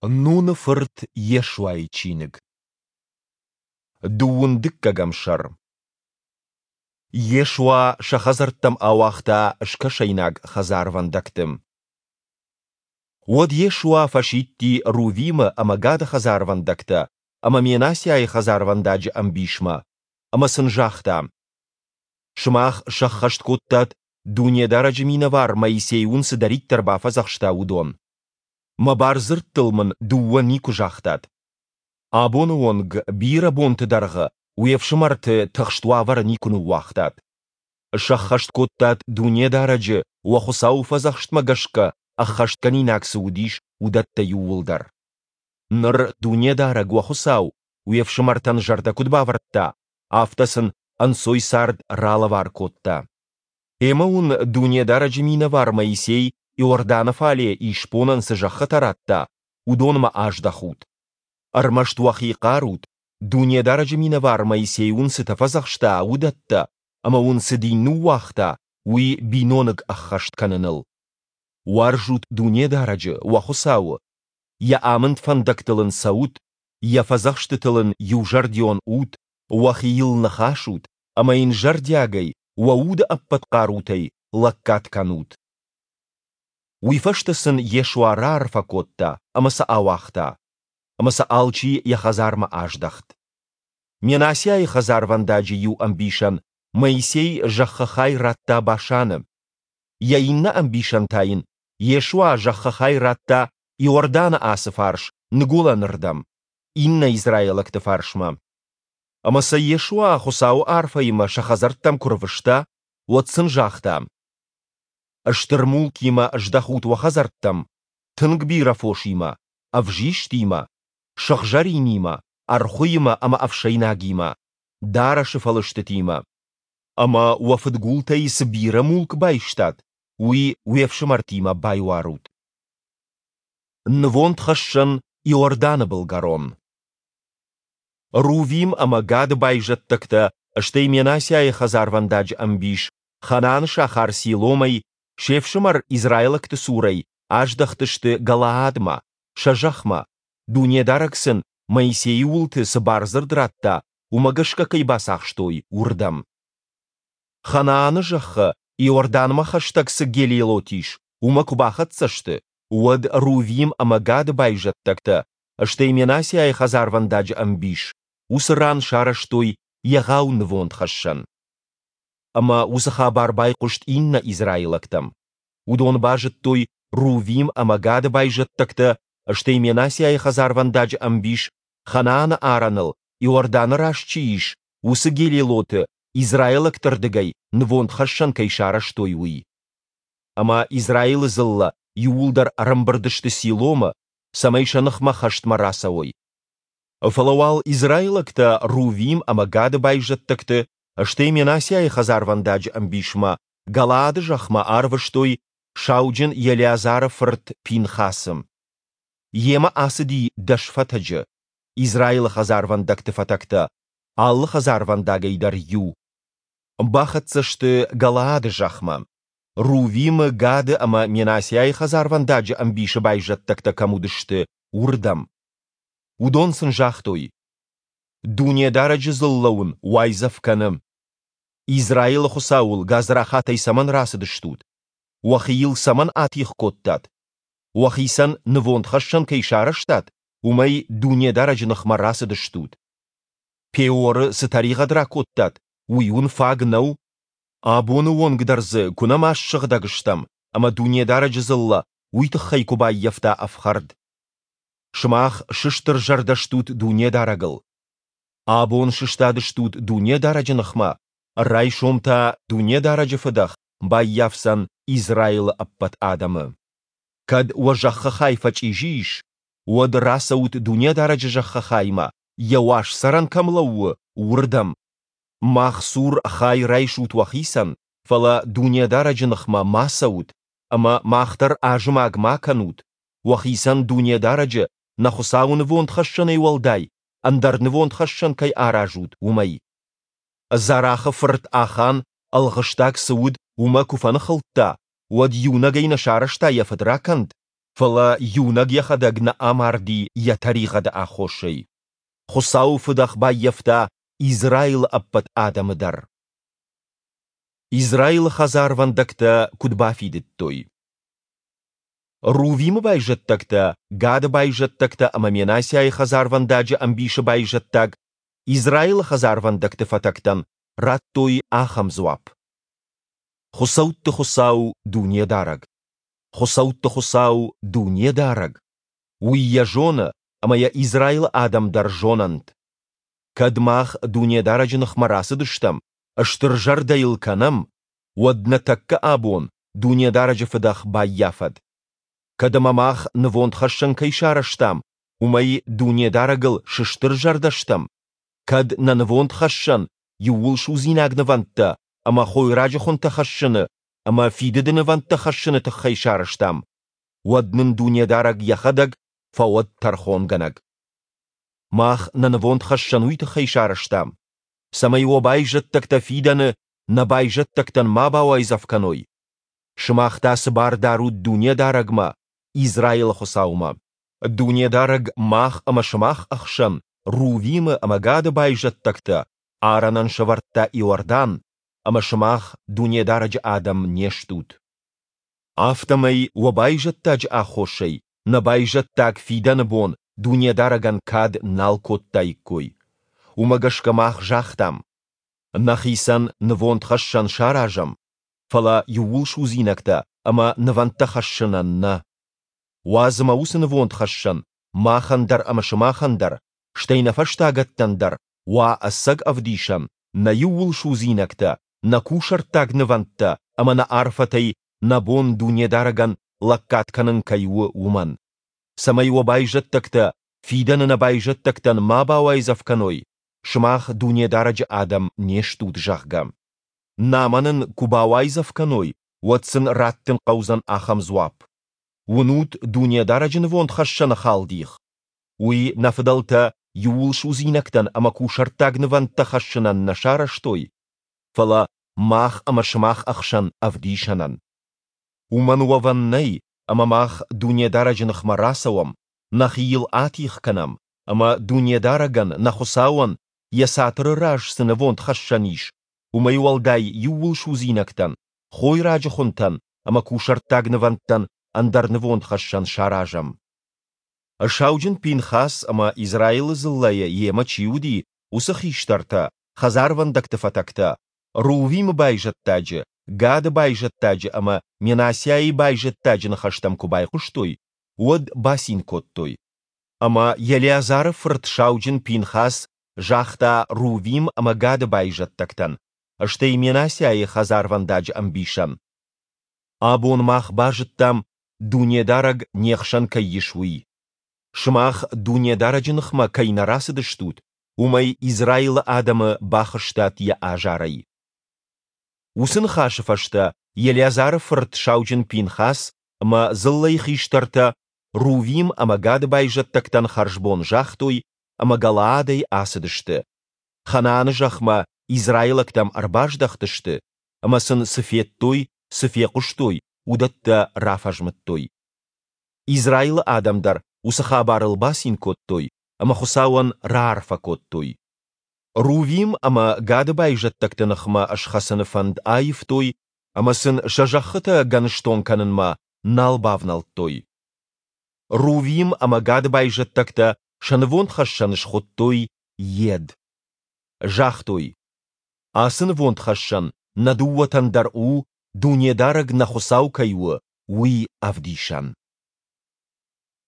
Нуны фырт Йешуайы чиныг. Дыууын дыккӕгӕм сӕр. Йешуа сӕ хӕдзӕрттӕм ауагъта скӕсӕйнаг хӕдзарвӕндӕгты. Уӕд Йешуа фӕсидти Рувимы ӕмӕ Гады хӕдзарвӕндӕгтӕ ӕмӕ Менассиайы хӕдзарвӕндаджы ӕмбисмӕ, ӕмӕ сын загъта: Сымах сӕххӕст кодтат, Дунедарӕджы минӕвар Моисей уын цыдӕриддӕр бафӕдзӕхста, уыдон. Мӕ бардзырдтыл мын дыууӕ никуы загътат. Абоны онг бирӕ бонты дӕргъы уе фсымӕрты тыхст уавӕры никуы ныууагътат. Сӕххӕст кодтат Дунедарӕджы, уӕ Хуыцауы фӕдзӕхстмӕ гӕсгӕ ӕххӕстгӕнинаг цы уыдис, уыдӕттӕ иууылдӕр. Ныр Дунедарӕг, уӕ Хуыцау, уе фсымӕртӕн зӕрдӕ куыд бавӕрдта, афтӕ сын ӕнцой цард ралӕвар кодта. Ӕмӕ уын Дунедарӕджы минӕвар Моисей Иорданы фале исбонӕн цы зӕххытӕ радта, уыдонмӕ аздӕхут. Ӕрмӕст уӕхи хъарут, Дунедарӕджы минӕвар Моисей уын цытӕ фӕдзӕхста, уыдӕттӕ, ӕмӕ уын цы дин ныууагъта, уый биноныг ӕххӕст кӕныныл. Уарзут Дунедарӕджы, уӕ Хуыцауы, Йӕ амынд фӕндӕгтыл ын цӕут, Йӕ фӕдзӕхстытыл ын иузӕрдион ут, уӕхи йыл ныхасут ӕмӕ йын зӕрдиагӕй, уӕ уды ӕппӕт хъарутӕй лӕггад кӕнут. Уый фӕстӕ сын Йешуа раарфӕ кодта ӕмӕ сӕ ауагъта. Ӕмӕ сӕ алчи йӕ хӕдзармӕ аздӕхт. Менассиайы хӕдзарвӕндаджы иу ӕмбисӕн Моисей зӕххы хай радта Башаны. Йӕ иннӕ ӕмбисӕн та йын Йешуа зӕххы хай радта Иорданы ацы фарс ныгуылӕнырдӕм, иннӕ израилӕгты фарсмӕ. Ӕмӕ сӕ Йешуа Хуыцауы арфӕимӕ сӕ хӕдзӕрттӕм куы рвыста, уӕд сын загъта: Стыр мулкимӕ здӕхут уӕ хӕдзӕрттӕм, тынг бирӕ фосимӕ, ӕвзистимӕ, сыгъзӕринимӕ, ӕрхуыимӕ ӕмӕ ӕфсӕйнагимӕ, дарӕсы фӕлыстытимӕ. Ӕмӕ уӕ фыдгултӕй цы бирӕ мулк байстат, уый уе фсымӕртимӕ байуарут. Нывондхӕссӕн Иорданы былгӕрон. Рувим ӕмӕ Гады байзӕддӕгтӕ, стӕй Менассиайы хӕдзарвӕндаджы ӕмбис Ханааны сахар Силомӕй, се фсымӕр израилӕгты цурӕй, аздӕхтысты Галаадмӕ, сӕ зӕхмӕ, Дунедарӕг сын Моисейы уылты цы бардзырд радта, уымӕ гӕсгӕ кӕй бацахстой, уырдӕм. Ханааны зӕххы Иорданмӕ хӕстӕг цы Гелилот ис, уымӕ куы бахӕццӕ сты, уӕд Рувим ӕмӕ Гады байзӕддӕгтӕ, стӕй Менассиайы хӕдзарвӕндаджы ӕмбис, уыцы ран сарӕзтой егъау нывондхӕссӕн. Ӕмӕ уыцы хабар байхъуыст иннӕ израилӕгтӕм. Уыдон базыдтой, Рувим ӕмӕ Гады байзӕддӕгтӕ, стӕй Менассиайы хӕдзарвӕндаджы ӕмбис Ханааны арӕныл Иорданы раз чи ис, уыцы Гелилоты израилӕгты рдыгӕй нывондхӕссӕн кӕй сарӕзтой, уый. Ӕмӕ Израилы дзыллӕ иууылдӕр ӕрӕмбырд сты Силомы, цӕмӕй сӕ ныхмӕ хӕстмӕ рацӕуой. Фӕлӕ уал израилӕгтӕ Рувим ӕмӕ Гады байзӕддӕгты, стӕй Менассиайы хӕдзарвӕндаджы ӕмбисмӕ Галаады зӕхмӕ арвыстой сауджын Елеазары фырт Пинхасы. Йемӕ ацыди дӕс фӕтӕджы, Израилы хӕдзарвӕндӕгты фӕтӕгтӕ, алы хӕдзарвӕндагӕй дӕр иу. Бахӕццӕ сты Галаады зӕхмӕ, Рувимы, Гады ӕмӕ Менассиайы хӕдзарвӕндаджы ӕмбисы байзӕддӕгтӕ кӕм уыдысты, уырдӕм. Уыдон сын загътой: Дунедарӕджы дзыллӕ уын уайдзӕф кӕны. Израилы Хуыцауыл гадзрахатӕй цӕмӕн рацыдыстут? Уӕхи йыл цӕмӕн атигъ кодтат? Уӕхицӕн нывондхӕссӕн кӕй сарӕзтат, уымӕй Дунедарӕджы ныхмӕ рацыдыстут. Пеоры цы тӕригъӕд ракодтат, уый уын фаг нӕу? Абоны онг дӕр дзы куы нӕма ссыгъдӕг стӕм ӕмӕ Дунедарӕджы дзыллӕ уый тыххӕй куы баййӕфта ӕфхӕрд. Сымах сыстырзӕрдӕ стут Дунедарӕгыл. Абон сыстадыстут Дунедарӕджы ныхмӕ, райсом та Дунедарӕджы фыдӕх баййафдзӕн Израилы ӕппӕт адӕмы. Кӕд уӕ зӕххы хай фӕчъизи ис, уӕд рацӕут Дунедарӕджы зӕххы хаймӕ, йӕ уаз цӕрӕн кӕм лӕууы, уырдӕм. Мах цур хай райсут уӕхицӕн, фӕлӕ Дунедарӕджы ныхмӕ ма цӕут ӕмӕ мах дӕр азымаг ма кӕнут, уӕхицӕн Дунедарӕджы, нӕ Хуыцауы нывондхӕссӕнӕй уӕлдай, ӕндӕр нывондхӕссӕн кӕй аразут, уымӕй. Зарахы фырт Ахан, ӕлгъыстаг цы уыд, уымӕ куы фӕныхылдта, уӕд иунӕгӕй нӕ сарӕзта йӕ фыдракӕнд? Фӕлӕ иунӕг йӕхӕдӕг нӕ амарди йӕ тӕригъӕды аххосӕй. Хуыцауы фыдӕх баййӕфта Израилы ӕппӕт адӕмы дӕр. Израилы хӕдзарвӕндӕгтӕ куыд бафидыдтой. Рувимы байзӕддӕгтӕ, Гады байзӕддӕгтӕ ӕмӕ Менассиайы хӕдзарвӕндаджы ӕмбисы байзӕддаг Израилы хӕдзарвӕндӕгты фӕтӕгтӕн радтой ахӕм дзуапп: Хуыцӕутты Хуыцау Дунедарӕг, хуыцӕутты Хуыцау Дунедарӕг, уый йӕ зоны ӕмӕ йӕ Израилы адӕм дӕр зонӕнт. Кӕд мах Дунедарӕджы ныхмӕ рацыдыстӕм, стырзӕрдӕ йыл кӕнӕм, уӕд нӕ тӕккӕ абон Дунедарӕджы фыдӕх баййафӕд. Кӕд ӕмӕ мах нывондхӕссӕн кӕй сарӕзтам, уымӕй Дунедарӕгыл сыстырзӕрдӕ стӕм, кӕд нӕ нывондхӕссӕн иууылсудзинаг нывӕндтӕ ӕмӕ хойраджы хуынтӕ хӕссыны ӕмӕ фидыды нывӕндтӕ хӕссыны тыххӕй сарӕзтам, уӕд нын Дунедарӕг Йӕхӕдӕг фӕуӕд тӕрхонгӕнӕг. Мах нӕ нывондхӕссӕн уый тыххӕй сарӕзтам, цӕмӕй уӕ байзӕддӕгтӕ фидӕны нӕ байзӕддӕгтӕн ма бауайдзӕф кӕной. Сымах та цы бар дарут Дунедарӕгмӕ, Израилы Хуыцаумӕ? Дунедарӕг мах ӕмӕ сымах ӕхсӕн Рувимы ӕмӕ Гады байзӕддӕгтӕ арӕнӕн сӕвӕрдта Иордан, ӕмӕ сымах Дунедарӕджы адӕм не стут. Афтӕмӕй уӕ байзӕддаджы аххосӕй нӕ байзӕддаг фидӕны бон Дунедарӕгӕн кад нал кодтаиккой. Уымӕ гӕсгӕ мах загътам, Нӕхицӕн нывондхӕссӕн саразӕм, фӕлӕ иууылсудзинӕгтӕ ӕмӕ нывӕндтӕ хӕссынӕн нӕ. Уадз ӕмӕ уыцы нывондхӕссӕн махӕн дӕр ӕмӕ сымахӕн дӕр, стӕй нӕ фӕстагӕттӕн дӕр уа ӕцӕг ӕвдисӕн, нӕ иууылсудзинӕгтӕ, нӕ кусӕрттаг нывӕндтӕ ӕмӕ нӕ арфӕтӕй нӕ бон Дунедарӕгӕн лӕггад кӕнын кӕй у, уымӕн. Цӕмӕй уӕ байзӕддӕгтӕ фидӕны нӕ байзӕддӕгтӕн ма бауайдзӕф кӕной, сымах Дунедарӕджы адӕм не стут, зӕгъгӕ. Намӕ нын куы бауайдзӕф кӕной, уӕд сын раттын хъӕудзӕн ахӕм дзуапп: Уынут Дунедарӕджы нывондхӕссӕны халдих? Уый нӕ фыдӕлтӕ иууылсудзинӕгтӕн ӕмӕ кусӕрттаг нывӕндтӕ хӕссынӕн нӕ сарӕзтой, фӕлӕ мах ӕмӕ сымах ӕхсӕн ӕвдисӕнӕн. Уымӕн уӕвӕн нӕй, ӕмӕ мах Дунедарӕджы ныхмӕ рацӕуӕм, нӕхи йыл атигъ кӕнӕм ӕмӕ Дунедарӕгӕн, нӕ Хуыцауӕн, йӕ цатыры раз цы нывондхӕссӕн ис, уымӕй уӕлдай иууылсудзинӕгтӕн, хойраджы хуынтӕн ӕмӕ кусӕрттаг нывӕндтӕн ӕндӕр нывондхӕссӕн саразӕм. Сауджын Пинхас ӕмӕ Израилы дзыллӕйӕ йемӕ чи уыди, уыцы хистӕртӕ, хӕдзарвӕндӕгты фӕтӕгтӕ, Рувимы байзӕддаджы, Гады байзӕддаджы ӕмӕ Менассиайы байзӕддаджы ныхӕстӕм куы байхъуыстой, уӕд бацин кодтой. Ӕмӕ Елеазары фырт сауджын Пинхас загъта Рувим ӕмӕ Гады байзӕддӕгтӕн, стӕй Менассиайы хӕдзарвӕндаджы ӕмбисӕн, Абон мах базыдтам, Дунедарӕг не хсӕн кӕй ис, уый. Сымах Дунедарӕджы ныхмӕ кӕй нӕ рацыдыстут, уымӕй Израилы адӕмы бахызтат йӕ азарӕй. Уыцы ныхасы фӕстӕ Елеазары фырт сауджын Пинхас ӕмӕ дзыллӕйы хистӕртӕ Рувим ӕмӕ Гады байзӕддӕгтӕн хӕрзбон загътой ӕмӕ Галаадӕй ацыдысты. Ханааны зӕхмӕ израилӕгтӕм ӕрбаздӕхтысты ӕмӕ сын цы федтой, цы фехъуыстой, уыдӕттӕ рафӕзмыдтой. Израилы адӕм дӕр уыцы хабарыл бацин кодтой ӕмӕ Хуыцауӕн раарфӕ кодтой. Рувим ӕмӕ Гады байзӕддӕгты ныхмӕ схӕцыны фӕнд аивтой ӕмӕ сын сӕ зӕххытӕ гӕныстон кӕнынмӕ нал бавнӕлдтой. Рувим ӕмӕ Гады байзӕддӕгтӕ сӕ нывондхӕссӕн схуыдтой Йед. Загътой, Ацы нывондхӕссӕн нӕ дыууӕтӕн дӕр у, Дунедарӕг нӕ Хуыцау кӕй у, уый ӕвдисӕн.